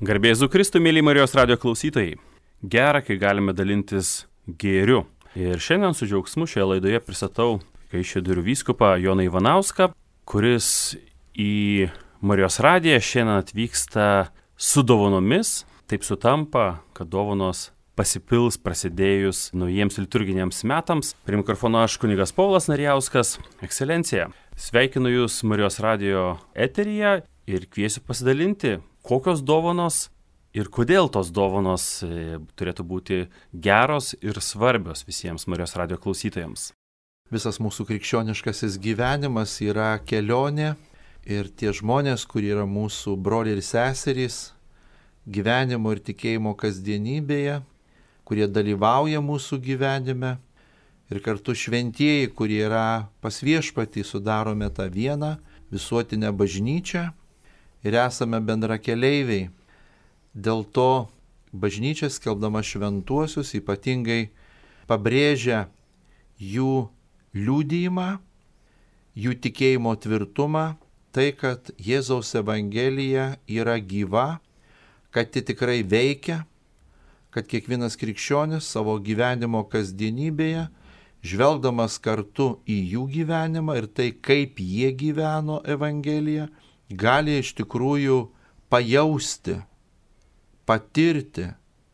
Garbė Jėzui Kristui, mėly Marijos radijo klausytojai. Gera, kai galime dalintis gėriu. Ir šiandien su džiaugsmu šioje laidoje pristatau Kaišiadorių vyskupą Joną Ivanauską, kuris į Marijos radiją šiandien atvyksta su dovanomis. Taip sutampa, kad dovanos pasipils prasidėjus naujiems liturginiams metams. Prie mikrofono aš kunigas Paulas Narijauskas. Ekscelencija, sveikinu Jūs Marijos radijo eteryje ir kviesiu pasidalinti, kokios dovanos ir kodėl tos dovanos turėtų būti geros ir svarbios visiems Marijos radijo klausytojams. Visas mūsų krikščioniškasis gyvenimas yra kelionė ir tie žmonės, kurie yra mūsų broliai ir seserys gyvenimo ir tikėjimo kasdienybėje, kurie dalyvauja mūsų gyvenime ir kartu šventieji, kurie yra pas viešpatį, sudarome tą vieną visuotinę bažnyčią ir esame bendrakeleiviai. Dėl to bažnyčia skelbdama šventuosius ypatingai pabrėžia jų liudijimą, jų tikėjimo tvirtumą, tai, kad Jėzaus Evangelija yra gyva, kad ji tikrai veikia, kad kiekvienas krikščionis savo gyvenimo kasdienybėje, žvelgdamas kartu į jų gyvenimą ir tai, kaip jie gyveno Evangeliją, gali iš tikrųjų pajausti, patirti,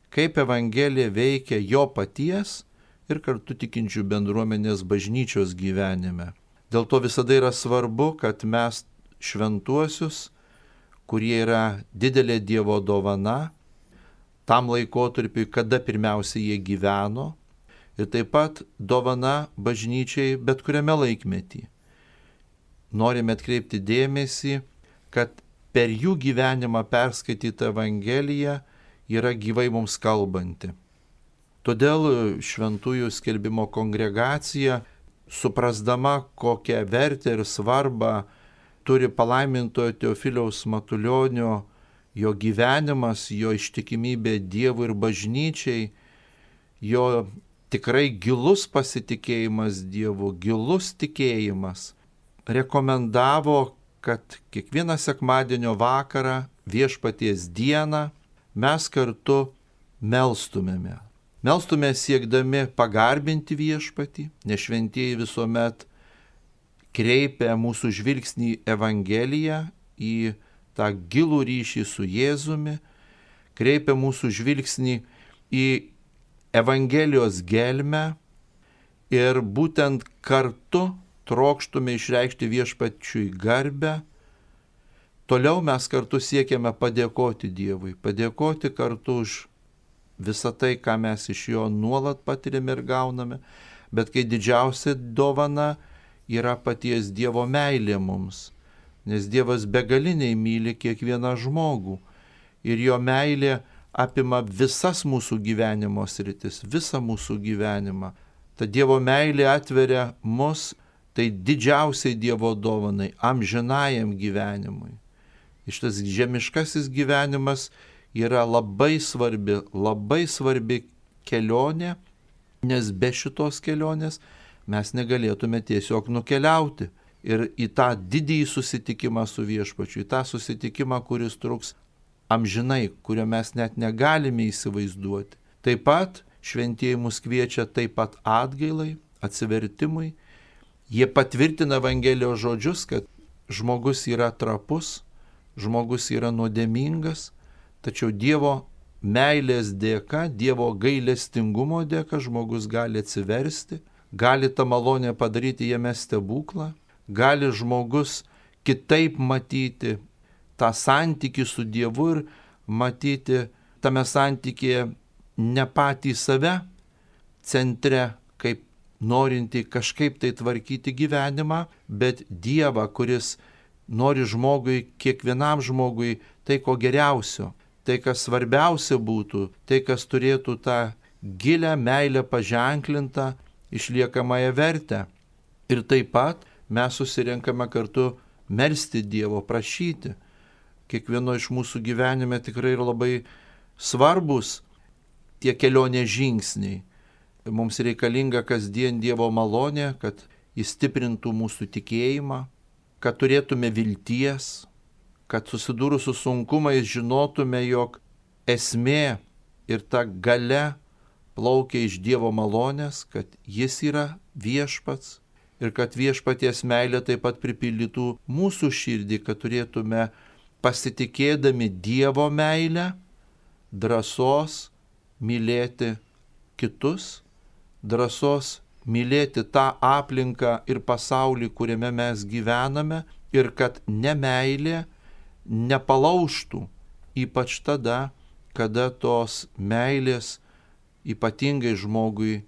kaip Evangelija veikia jo paties ir kartu tikinčių bendruomenės bažnyčios gyvenime. Dėl to visada yra svarbu, kad mes šventuosius, kurie yra didelė Dievo dovana, tam laikotarpiui, kada pirmiausia jie gyveno, ir taip pat dovana bažnyčiai bet kuriame laikmetį. Norime atkreipti dėmesį, kad per jų gyvenimą perskaityta Evangelija yra gyvai mums kalbanti. Todėl šventųjų skelbimo kongregacija, suprasdama kokią vertę ir svarbą turi palaimintojo Teofiliaus Matulionio, jo gyvenimas, jo ištikimybė Dievui ir bažnyčiai, jo tikrai gilus pasitikėjimas Dievu, gilus tikėjimas, rekomendavo, kad kiekvieną sekmadienio vakarą, viešpaties dieną, mes kartu melstumėme. Melstume siekdami pagarbinti viešpatį, nes šventieji visuomet kreipia mūsų žvilgsnį į Evangeliją, į tą gilų ryšį su Jėzumi, kreipia mūsų žvilgsnį į Evangelijos gelmę ir būtent kartu trokštume išreikšti viešpačiui garbę. Toliau mes kartu siekiame padėkoti Dievui, padėkoti kartu už visą tai, ką mes iš jo nuolat patiriame ir gauname, bet kai didžiausia dovana yra paties Dievo meilė mums, nes Dievas begaliniai myli kiekvieną žmogų ir jo meilė apima visas mūsų gyvenimo sritis, visą mūsų gyvenimą. Ta Dievo meilė atveria mus tai didžiausiai Dievo dovanai, amžinajam gyvenimui. Šitas žemiškasis gyvenimas yra labai svarbi kelionė, nes be šitos kelionės mes negalėtume tiesiog nukeliauti ir į tą didįjį susitikimą su viešpačiu, į tą susitikimą, kuris truks amžinai, kurio mes net negalime įsivaizduoti. Taip pat šventieji mus kviečia taip pat atgailai, atsivertimui. Jie patvirtina Evangelijos žodžius, kad žmogus yra trapus, žmogus yra nuodėmingas, tačiau Dievo meilės dėka, Dievo gailestingumo dėka žmogus gali atsiversti, gali tą malonę padaryti jame stebuklą, gali žmogus kitaip matyti tą santykį su Dievu ir matyti tame santykėje ne patį save centre, kaip norinti kažkaip tai tvarkyti gyvenimą, bet Dievą, kuris nori žmogui, kiekvienam žmogui tai, ko geriausio, tai, kas svarbiausia būtų, tai, kas turėtų tą gilę meilę paženklintą, išliekamąją vertę. Ir taip pat mes susirenkame kartu melsti Dievo, prašyti. Kiekvieno iš mūsų gyvenime tikrai yra labai svarbus tie kelionės žingsniai. Mums reikalinga kasdien Dievo malonė, kad jis stiprintų mūsų tikėjimą, kad turėtume vilties, kad susidūrus su sunkumais žinotume, jog esmė ir ta galia plaukia iš Dievo malonės, kad Jis yra viešpats ir kad viešpaties meilė taip pat pripildytų mūsų širdį, kad turėtume pasitikėdami Dievo meilę, drąsos mylėti kitus, drąsos mylėti tą aplinką ir pasaulį, kuriame mes gyvename, ir kad nemeilė nepalaužtų, ypač tada, kada tos meilės ypatingai žmogui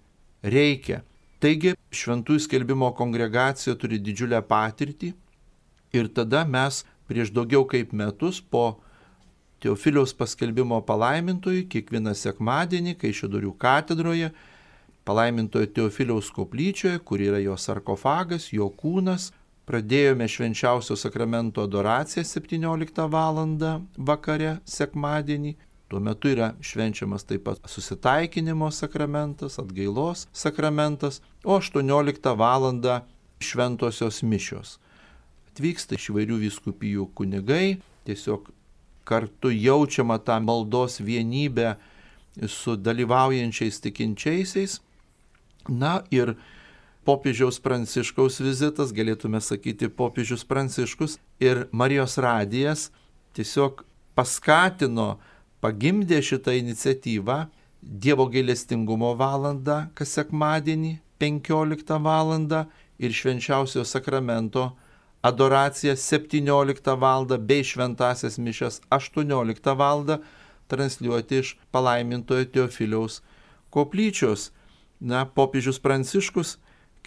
reikia. Taigi, Šventųjų skelbimo kongregacija turi didžiulę patirtį ir tada mes prieš daugiau kaip metus po Teofiliaus paskelbimo palaimintojui kiekvieną sekmadienį Kaišiadorių katedroje, palaimintojo Teofiliaus koplyčioje, kur yra jo sarkofagas, jo kūnas, pradėjome švenčiausio sakramento adoraciją 17 val. Vakare sekmadienį. Tuo metu yra švenčiamas taip pat susitaikinimo sakramentas, atgailos sakramentas, o 18 val. Šventosios mišios. Atvyksta iš įvairių vyskupijų kunigai, tiesiog kartu jaučiama tą maldos vienybę su dalyvaujančiais tikinčiaisiais. Na ir popiežiaus Pranciškaus vizitas, galėtume sakyti popiežius Pranciškus ir Marijos radijas tiesiog paskatino, pagimdė šitą iniciatyvą Dievo gailestingumo valandą kas sekmadienį 15 val. Ir švenčiausio sakramento adoracija 17 val. Bei šventasias mišias 18 val. Transliuoti iš palaimintojo Teofiliaus koplyčios. Na, popiežius Pranciškus,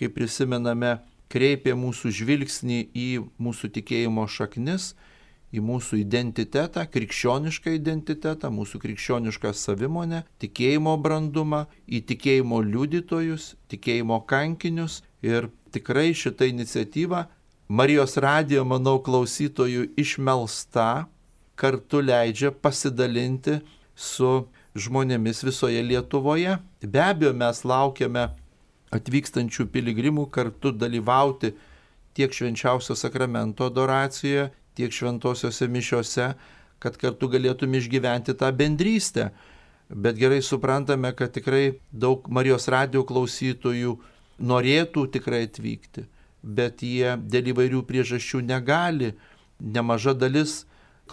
kaip prisimename, kreipė mūsų žvilgsnį į mūsų tikėjimo šaknis, į mūsų identitetą, krikščionišką identitetą, mūsų krikščionišką savimonę, tikėjimo brandumą, į tikėjimo liudytojus, tikėjimo kankinius. Ir tikrai šita iniciatyva Marijos radijo, manau, klausytojų išmelsta, kartu leidžia pasidalinti su žmonėmis visoje Lietuvoje. Be abejo, mes laukiame atvykstančių piligrimų kartu dalyvauti tiek švenčiausio sakramento adoracijoje, tiek šventosiose mišiose, kad kartu galėtume išgyventi tą bendrystę. Bet gerai suprantame, kad tikrai daug Marijos radijo klausytojų norėtų tikrai atvykti, bet jie dėl įvairių priežasčių negali. Nemaža dalis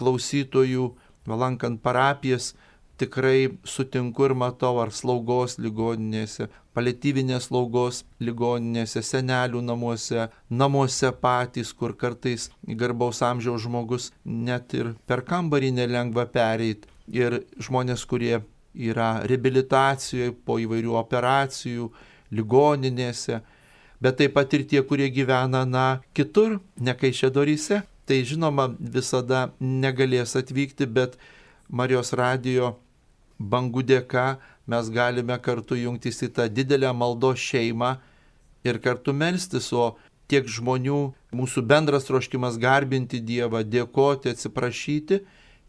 klausytojų, lankant parapijas, tikrai sutinku ir matau, ar slaugos ligoninėse, paliatyvinės slaugos ligoninėse, senelių namuose patys, kur kartais garbaus amžiaus žmogus net ir per kambarį nelengva pereiti. Ir žmonės, kurie yra reabilitacijoje po įvairių operacijų, ligoninėse, bet taip pat ir tie, kurie gyvena kitur, ne Kaišiadoryse, tai žinoma visada negalės atvykti, bet Marijos radijo bangų dėka mes galime kartu jungtis į tą didelę maldos šeimą ir kartu melstis, o tiek žmonių, mūsų bendras troškimas garbinti Dievą, dėkoti, atsiprašyti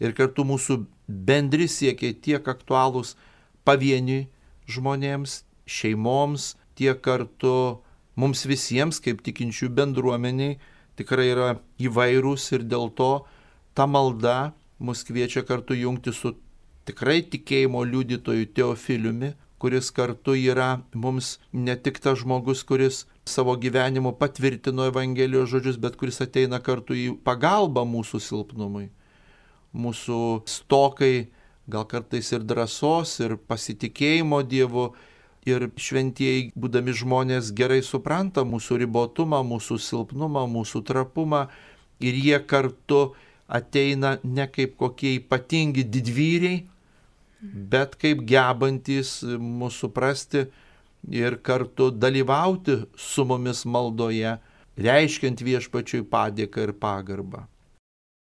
ir kartu mūsų bendri siekiai tiek aktualūs pavieniui žmonėms, šeimoms, tiek kartu mums visiems kaip tikinčių bendruomeniai tikrai yra įvairūs ir dėl to ta malda mus kviečia kartu jungti su tikrai tikėjimo liudytoju Teofiliumi, kuris kartu yra mums ne tik tas žmogus, kuris savo gyvenimu patvirtino Evangelijos žodžius, bet kuris ateina kartu į pagalbą mūsų silpnumui, mūsų stokai, gal kartais ir drąsos, ir pasitikėjimo Dievu. Ir šventieji, būdami žmonės, gerai supranta mūsų ribotumą, mūsų silpnumą, mūsų trapumą. Ir jie kartu ateina ne kaip kokie ypatingi didvyriai, bet kaip gebantis mūsų suprasti ir kartu dalyvauti su mumis maldoje, reiškiant viešpačiui padėką ir pagarbą.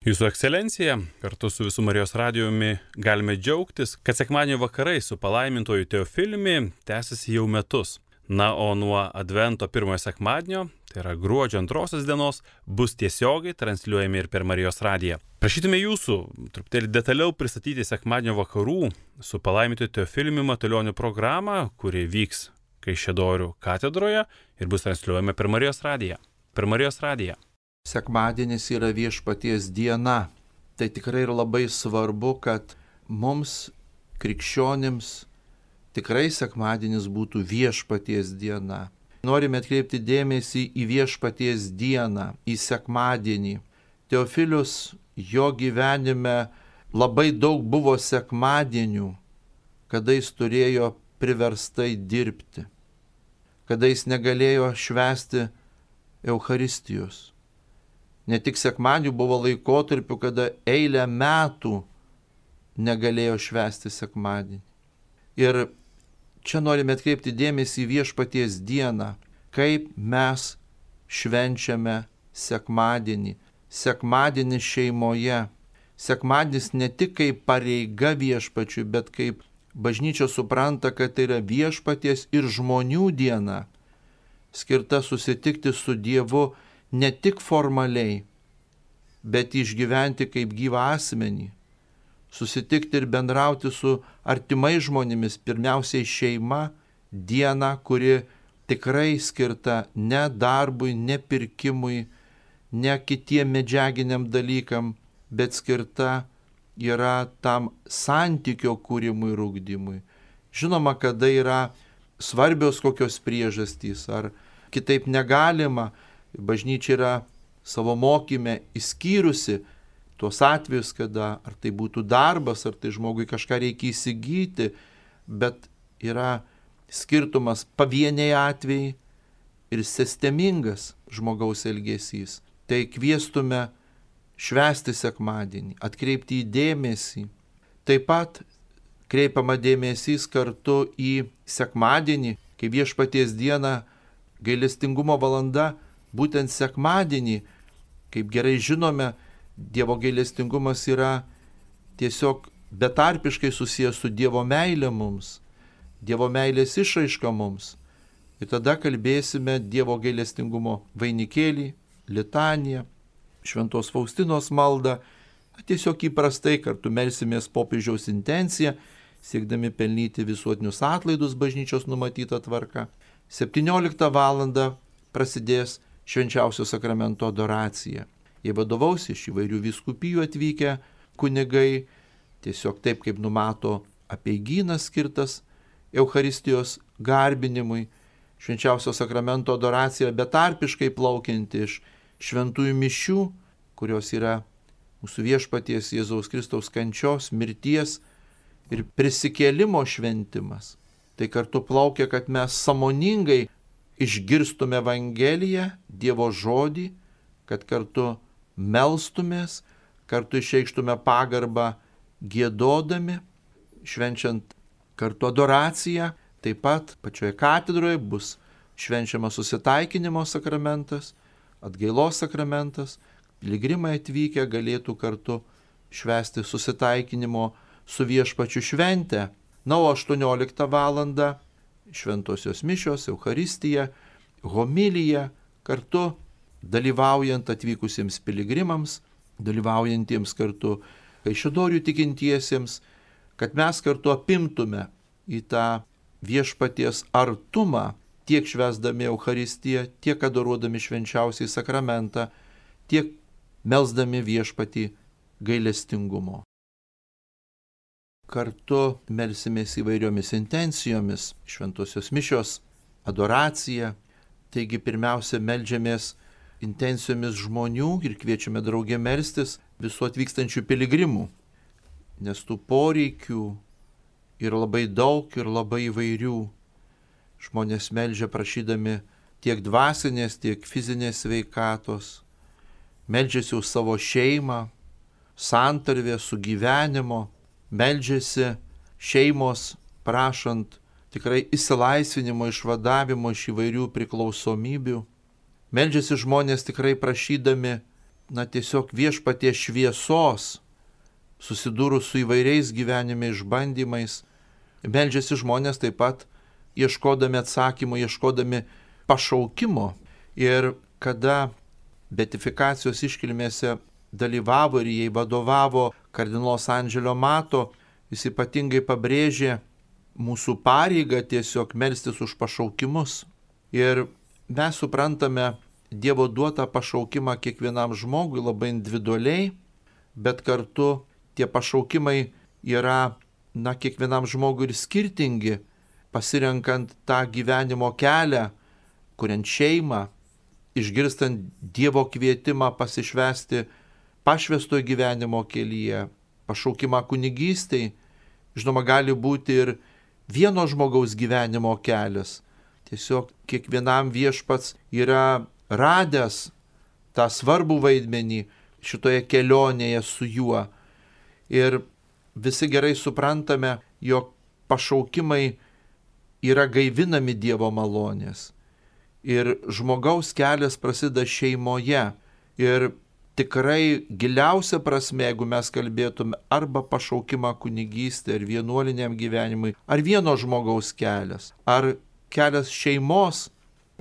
Jūsų ekscelencija, kartu su visu Marijos radijumi galime džiaugtis, kad sekmadienio vakarai su palaimintoju Teofiliumi tęsiasi jau metus. Na, o nuo Advento pirmojo sekmadienio, tai yra gruodžio 2 dienos, bus tiesiogiai transliuojami ir per Marijos radiją. Prašytume jūsų truputėlį detaliau pristatyti sekmadienio vakarų su palaimintoju Teofiliumi Matulioniu programą, kuri vyks Kaišiadorių katedroje ir bus transliuojama per Marijos radiją. Per Marijos radiją. Sekmadienis yra viešpaties diena. tai tikrai yra labai svarbu, kad mums, krikščionims, tikrai sekmadienis būtų viešpaties diena. Norime atkreipti dėmesį į viešpaties dieną, į sekmadienį. Teofilius, jo gyvenime labai daug buvo sekmadienių, kada jis turėjo priverstai dirbti, kada jis negalėjo švęsti Eucharistijos. Ne tik sekmadienių, buvo laikotarpių, kada eilę metų negalėjo švęsti sekmadienį. Ir čia norime atkreipti dėmesį į viešpaties dieną, kaip mes švenčiame sekmadienį. Sekmadienis šeimoje. Sekmadienis ne tik kaip pareiga viešpačiui, bet kaip bažnyčia supranta, kad tai yra viešpaties ir žmonių diena, skirta susitikti su Dievu ne tik formaliai, bet išgyventi kaip gyvą asmenį, susitikti ir bendrauti su artimai žmonėmis, pirmiausiai šeima, diena, kuri tikrai skirta ne darbui, ne pirkimui, ne kitiem medžiaginiam dalykam, bet skirta yra tam santykio kūrimui ir ugdymui. Žinoma, kada yra svarbios kokios priežastys, ar kitaip negalima, bažnyčia yra savo mokyme įskyrusi tuos atvejus, kada ar tai būtų darbas, ar tai žmogui kažką reikia įsigyti, bet yra skirtumas pavieniai atvejai ir sistemingas žmogaus elgesys. Tai kviestume švęsti sekmadienį, atkreipti į dėmesį. Taip pat kreipiama dėmesys kartu į sekmadienį, kai viešpaties diena, gailestingumo valanda, būtent sekmadienį, kaip gerai žinome, Dievo gailestingumas yra tiesiog betarpiškai susijęs su Dievo meilė mums, Dievo meilės išraiška mums. Ir tada kalbėsime Dievo gailestingumo vainikėlį, litaniją, Šventos Faustinos maldą, tiesiog įprastai kartu melsimės popiežiaus intenciją, siekdami pelnyti visuotinius atlaidus bažnyčios numatytą tvarką. 17 val. Prasidės švenčiausio sakramento adoracija. Jie vadovaus iš įvairių vyskupijų atvykę kunigai, tiesiog taip kaip numato apeigynas skirtas Eucharistijos garbinimui. Švenčiausio sakramento adoracija betarpiškai plaukianti iš šventųjų mišių, kurios yra mūsų viešpaties Jėzaus Kristaus kančios, mirties ir prisikėlimo šventimas. Tai kartu plaukia, kad mes sąmoningai išgirstume Evangeliją, Dievo žodį, kad kartu melstumės, kartu išreikštume pagarbą giedodami, švenčiant kartu adoraciją. Taip pat pačioje katedroje bus švenčiamas susitaikinimo sakramentas, atgailos sakramentas. Piligrimai atvykę galėtų kartu švęsti susitaikinimo su viešpačiu šventę. Na, o 18 val. Šventosios mišios, Eucharistija, homilija, kartu dalyvaujant atvykusiems piligrimams, dalyvaujantiems kartu Kaišiadorių tikintiesiems, kad mes kartu apimtume į tą viešpaties artumą, tiek švęsdami Eucharistiją, tiek adoruodami švenčiausiai sakramentą, tiek melsdami viešpatį gailestingumo. Kartu melsimės įvairiomis intencijomis, šventosios mišios, adoracija. Taigi pirmiausia meldžiamės intencijomis žmonių ir kviečiame draugė melstis visų atvykstančių piligrimų, nes tų poreikių yra labai daug ir labai įvairių. Žmonės meldžia prašydami tiek dvasinės, tiek fizinės sveikatos, meldžiasi už savo šeimą, santarvę, sugyvenimo, meldžiasi šeimos prašant tikrai išsilaisvinimo, išvadavimo iš įvairių priklausomybių. Meldžiasi žmonės tikrai prašydami, tiesiog viešpaties šviesos, susidūrus su įvairiais gyvenime išbandymais. Meldžiasi žmonės taip pat ieškodami atsakymų, ieškodami pašaukimo. Ir kada beatifikacijos iškilmėse dalyvavo ir jai vadovavo kardinolas Andželio Mato, jis ypatingai pabrėžė mūsų pareigą tiesiog melstis už pašaukimus. Ir mes suprantame Dievo duotą pašaukimą kiekvienam žmogui labai individualiai, bet kartu tie pašaukimai yra, kiekvienam žmogui ir skirtingi, pasirenkant tą gyvenimo kelią, kuriant šeimą, išgirstant Dievo kvietimą pasišvęsti pašvęstojo gyvenimo kelyje, pašaukimą kunigystei. Žinoma, gali būti ir vieno žmogaus gyvenimo kelias. Tiesiog kiekvienam viešpats yra radęs tą svarbų vaidmenį šitoje kelionėje su juo. Ir visi gerai suprantame, jog pašaukimai yra gaivinami Dievo malonės. Ir žmogaus kelias prasideda šeimoje. Ir tikrai giliausia prasme, jeigu mes kalbėtume arba pašaukimą kunigystę ar vienuoliniam gyvenimui, ar vieno žmogaus kelias, ar kelias šeimos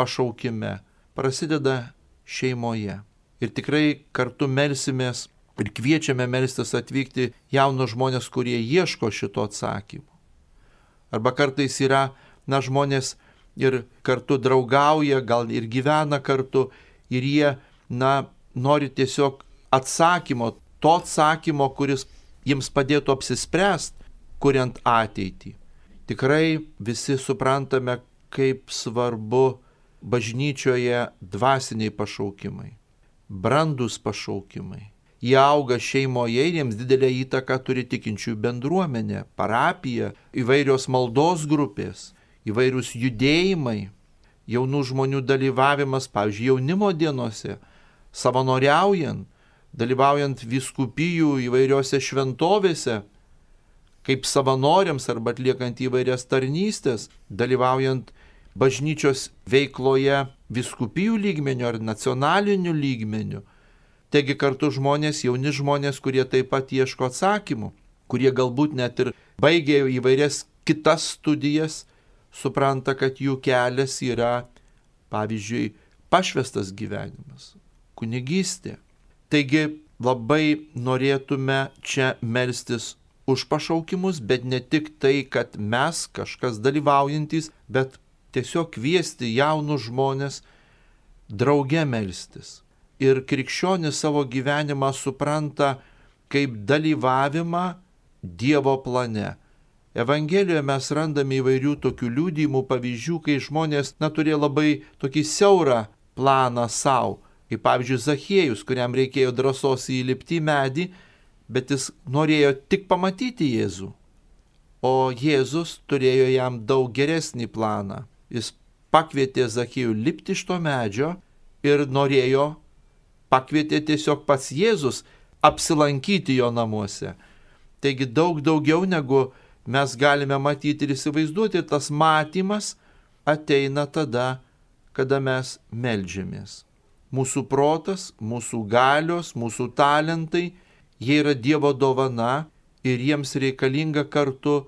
pašaukime, prasideda šeimoje. Ir tikrai kartu melsimės ir kviečiame melstis atvykti jaunus žmonės, kurie ieško šito atsakymo. Arba kartais yra, žmonės ir kartu draugauja, gal ir gyvena kartu, ir jie, nori tiesiog atsakymo, to atsakymo, kuris jiems padėtų apsispręsti, kuriant ateitį. Tikrai visi suprantame, kaip svarbu bažnyčioje dvasiniai pašaukimai, brandus pašaukimai. Jie auga šeimoje ir jiems didelę įtaką turi tikinčiųjų bendruomenė, parapija, įvairios maldos grupės, įvairius judėjimai, jaunų žmonių dalyvavimas, pavyzdžiui, jaunimo dienose, savanoriaujant, dalyvaujant vyskupijų įvairiose šventovėse, kaip savanoriams arba atliekant įvairias tarnystės, dalyvaujant bažnyčios veikloje vyskupijų lygmeniu ar nacionaliniu lygmeniu. Taigi kartu žmonės, jauni žmonės, kurie taip pat ieško atsakymų, kurie galbūt net ir baigė įvairias kitas studijas, supranta, kad jų kelias yra, pavyzdžiui, pašvęstas gyvenimas, kunigystė. Taigi labai norėtume čia melstis už pašaukimus, bet ne tik tai, kad mes kažkas dalyvaujantys, bet tiesiog kviesti jaunus žmonės drauge melstis. Ir krikščionis savo gyvenimą supranta kaip dalyvavimą Dievo plane. Evangelijoje mes randame įvairių tokių liudijimų, pavyzdžių, kai žmonės turėjo labai tokį siaurą planą savo. Kaip pavyzdžiui Zachiejus, kuriam reikėjo drąsos įlipti į medį, bet jis norėjo tik pamatyti Jėzų. O Jėzus turėjo jam daug geresnį planą. Jis pakvietė Zachiejų lipti iš to medžio ir pakvietė tiesiog pats Jėzus apsilankyti jo namuose. Taigi daug daugiau negu mes galime matyti ir įsivaizduoti, tas matymas ateina tada, kada mes meldžiamės. Mūsų protas, mūsų galios, mūsų talentai, jie yra Dievo dovana ir jiems reikalinga kartu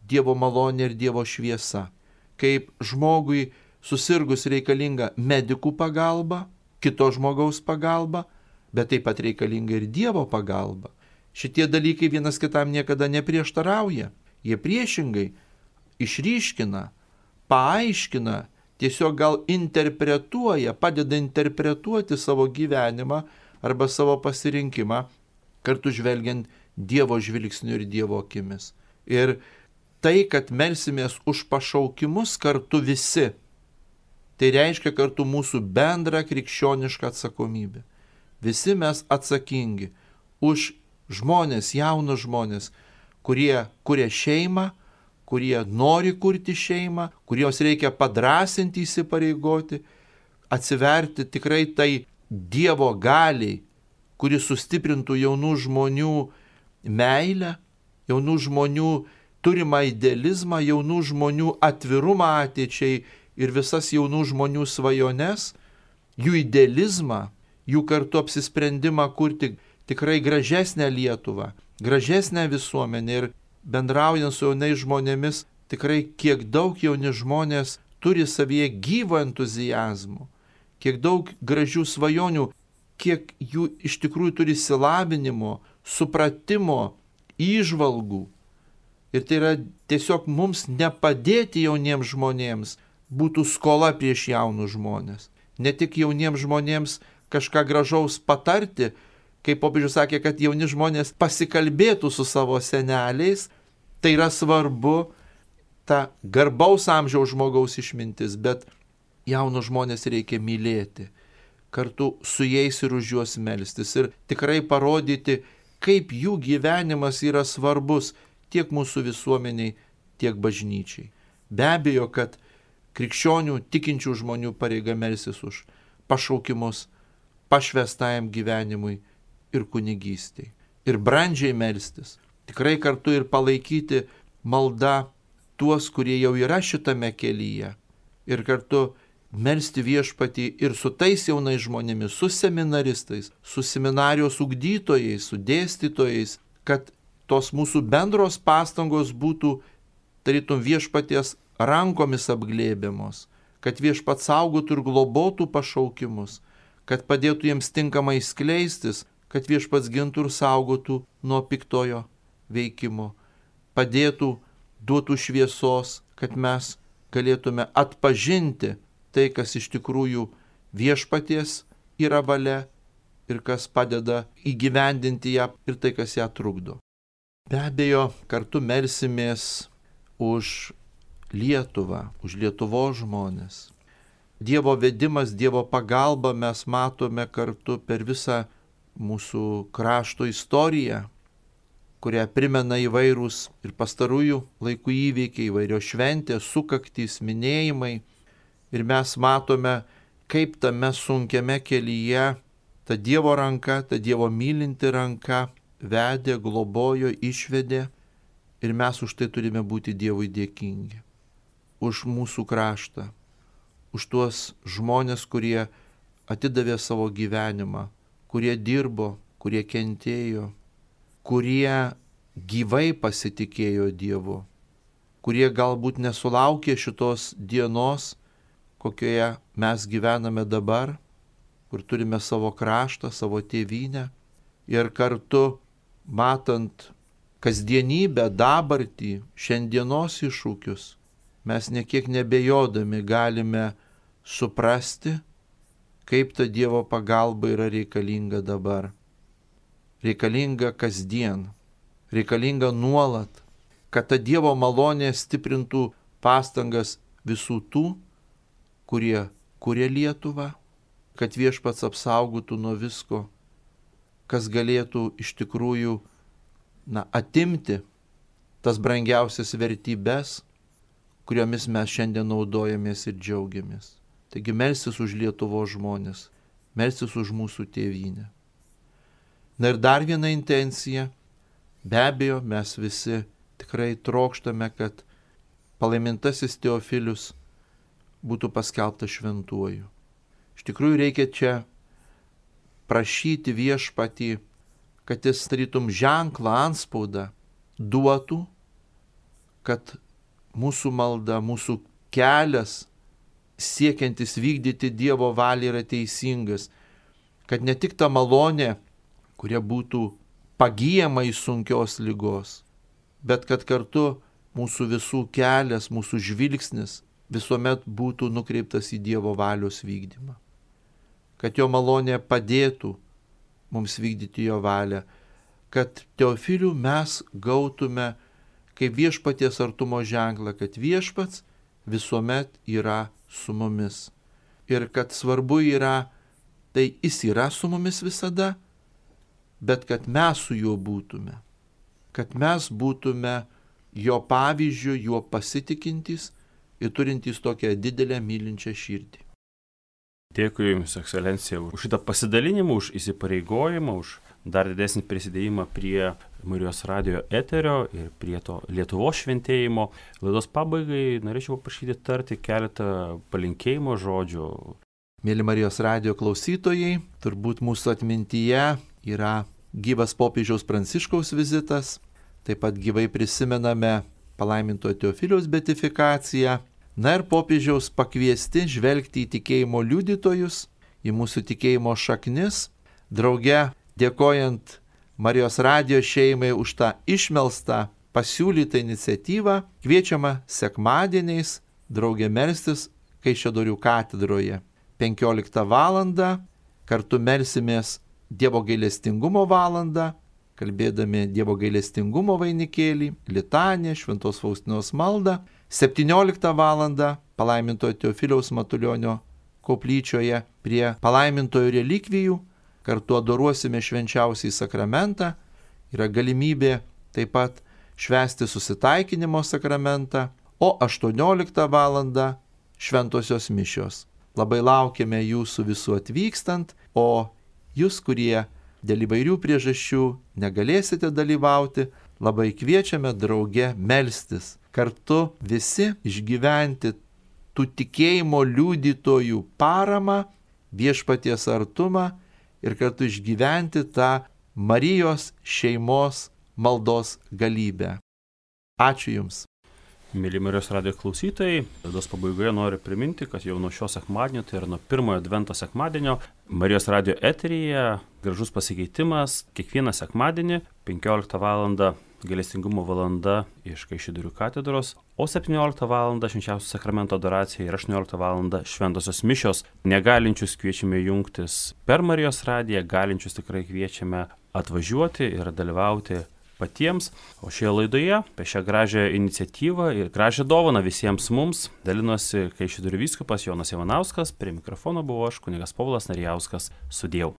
Dievo malonė ir Dievo šviesa. Kaip žmogui susirgus reikalinga medikų pagalba, kito žmogaus pagalba, bet taip pat reikalinga ir Dievo pagalba. Šitie dalykai vienas kitam niekada neprieštarauja. Jie priešingai išryškina, paaiškina, tiesiog gal interpretuoja, padeda interpretuoti savo gyvenimą arba savo pasirinkimą, kartu žvelgiant Dievo žvilgsniu ir Dievo akimis. Ir tai, kad melsimės už pašaukimus kartu visi, tai reiškia kartu mūsų bendrą krikščionišką atsakomybę. Visi mes atsakingi už žmonės, jaunus žmonės, kurie kuria šeimą, kurie nori kurti šeimą, kuriems reikia padrasinti, įsipareigoti, atsiverti tikrai tai Dievo galiai, kuris sustiprintų jaunų žmonių meilę, jaunų žmonių turimą idealizmą, jaunų žmonių atvirumą ateičiai ir visas jaunų žmonių svajones, jų idealizmą, jų kartu apsisprendimą kurti tikrai gražesnę Lietuvą, gražesnę visuomenę. Ir bendraujant su jaunais žmonėmis, tikrai kiek daug jauni žmonės turi savyje gyvo entuzijazmo, kiek daug gražių svajonių, kiek jų iš tikrųjų turi išsilavinimo, supratimo, įžvalgų. Ir tai yra tiesiog mums nepadėti jauniems žmonėms, būtų skola prieš jaunus žmonės. Ne tik jauniems žmonėms kažką gražaus patarti, kaip popiežius sakė, kad jauni žmonės pasikalbėtų su savo seneliais, tai yra svarbu ta garbaus amžiaus žmogaus išmintis, bet jaunus žmonės reikia mylėti, kartu su jais ir už juos melstis ir tikrai parodyti, kaip jų gyvenimas yra svarbus tiek mūsų visuomeniai, tiek bažnyčiai. Be abejo, kad krikščionių tikinčių žmonių pareiga melstis už pašaukimus, pašvestajam gyvenimui ir kunigystei. Ir brandžiai melstis. Tikrai kartu ir palaikyti maldą tuos, kurie jau yra šitame kelyje. Ir kartu melsti viešpatį ir su tais jaunais žmonėmis, su seminaristais, su seminarijos ugdytojais, su dėstytojais, kad tos mūsų bendros pastangos būtų tarytum viešpaties rankomis apglėbiamos, kad viešpats saugotų ir globotų pašaukimus, kad padėtų jiems tinkamai skleistis, kad viešpats gintų ir saugotų nuo piktojo veikimo, padėtų, duotų šviesos, kad mes galėtume atpažinti tai, kas iš tikrųjų viešpaties yra valia ir kas padeda įgyvendinti ją ir tai, kas ją trukdo. Be abejo, kartu melsimės už Lietuvą, už Lietuvos žmonės. Dievo vedimas, Dievo pagalba mes matome kartu per visą mūsų krašto istoriją, kurią primena įvairūs ir pastarųjų laikų įvykiai, įvairios šventės, sukaktys, minėjimai. Ir mes matome, kaip tame sunkiame kelyje ta Dievo ranka, ta Dievo mylinti ranka vedė, globojo, išvedė. Ir mes už tai turime būti Dievui dėkingi. Už mūsų kraštą, už tuos žmonės, kurie atidavė savo gyvenimą, kurie dirbo, kurie kentėjo, kurie gyvai pasitikėjo Dievu, kurie galbūt nesulaukė šitos dienos, kokioje mes gyvename dabar, kur turime savo kraštą, savo tėvynę ir kartu matant kasdienybę, dabartį, šiandienos iššūkius, mes nekiek nebejodami galime suprasti, kaip ta Dievo pagalba yra reikalinga dabar. Reikalinga kasdien, reikalinga nuolat, kad ta Dievo malonė stiprintų pastangas visų tų, kurie kuria Lietuvą, kad viešpats apsaugotų nuo visko, kas galėtų iš tikrųjų atimti tas brangiausias vertybės, kuriomis mes šiandien naudojamės ir džiaugiamės. Taigi melstis už Lietuvos žmonės, melstis už mūsų tėvynę. Na ir dar viena intencija, be abejo, mes visi tikrai trokštame, kad palaimintasis Teofilius būtų paskelbtas šventuoju. Iš tikrųjų reikia čia prašyti viešpatį, kad jis tarytum ženklą, antspaudą duotų, kad mūsų malda, mūsų kelias siekiantis vykdyti Dievo valią yra teisingas, kad ne tik ta malonė, kurie būtų pagyjama iš sunkios ligos, bet kad kartu mūsų visų kelias, mūsų žvilgsnis visuomet būtų nukreiptas į Dievo valios vykdymą. Kad jo malonė padėtų mums vykdyti jo valią, kad Teofilių mes gautume kaip viešpaties artumo ženklą, kad viešpats visuomet yra su mumis. Ir kad svarbu yra, tai jis yra su mumis visada, bet kad mes su juo būtume. Kad mes būtume jo pavyzdžiu, juo pasitikintys ir turintys tokią didelę mylinčią širdį. Dėkui Jums, Ekscelencija, už šitą pasidalinimą, už įsipareigojimą, už dar didesnį prisidėjimą prie Marijos radijo eterio ir prie to Lietuvos šventėjimo. Laidos pabaigai norėčiau paprašyti tarti keletą palinkėjimo žodžių. Mėly Marijos radijo klausytojai, turbūt mūsų atmintyje yra gyvas popiežiaus Pranciškaus vizitas, taip pat gyvai prisimename palaimintojo Teofiliaus beatifikaciją. Na ir popiežiaus pakviesti žvelgti į tikėjimo liudytojus, į mūsų tikėjimo šaknis, drauge dėkojant Marijos radijo šeimai už tą išmelstą pasiūlytą iniciatyvą, kviečiama sekmadieniais drauge melstis Kaišiadorių katedroje 15 val. Kartu melsimės Dievo gailestingumo valandą, kalbėdami Dievo gailestingumo vainikėlį, litanę, Šventos Faustinos maldą. 17 valandą palaimintojo Teofiliaus Matulionio koplyčioje prie palaimintojo relikvijų kartu adoruosime švenčiausiąjį sakramentą. Yra galimybė taip pat švęsti susitaikinimo sakramentą, o 18 valandą šventosios mišios. Labai laukiame jūsų visų atvykstant, o jūs, kurie dėl įvairių priežasčių negalėsite dalyvauti, labai kviečiame drauge melstis. Kartu visi išgyventi tų tikėjimo liudytojų paramą, viešpaties artumą ir kartu išgyventi tą Marijos šeimos maldos galybę. Ačiū Jums. Mėly Marijos radijo klausytojai, laidos pabaigoje noriu priminti, kad jau nuo šio sekmadienio, tai yra nuo pirmojo advento sekmadienio, Marijos radijo eteryje gražus pasikeitimas kiekvieną sekmadienį 15 val. Gailestingumo valanda iš Kaišiadorių katedros, o 17 val. Švenčiausio sakramento adoracija ir 18 val. Šventosios mišios. Negalinčius kviečiame jungtis per Marijos radiją, galinčius tikrai kviečiame atvažiuoti ir dalyvauti patiems. O šioje laidoje apie šią gražią iniciatyvą ir gražią dovaną visiems mums dalinosi Kaišiadorių vyskupas Jonas Ivanauskas, prie mikrofono buvo aš, kunigas Povilas Narijauskas. Sudieu.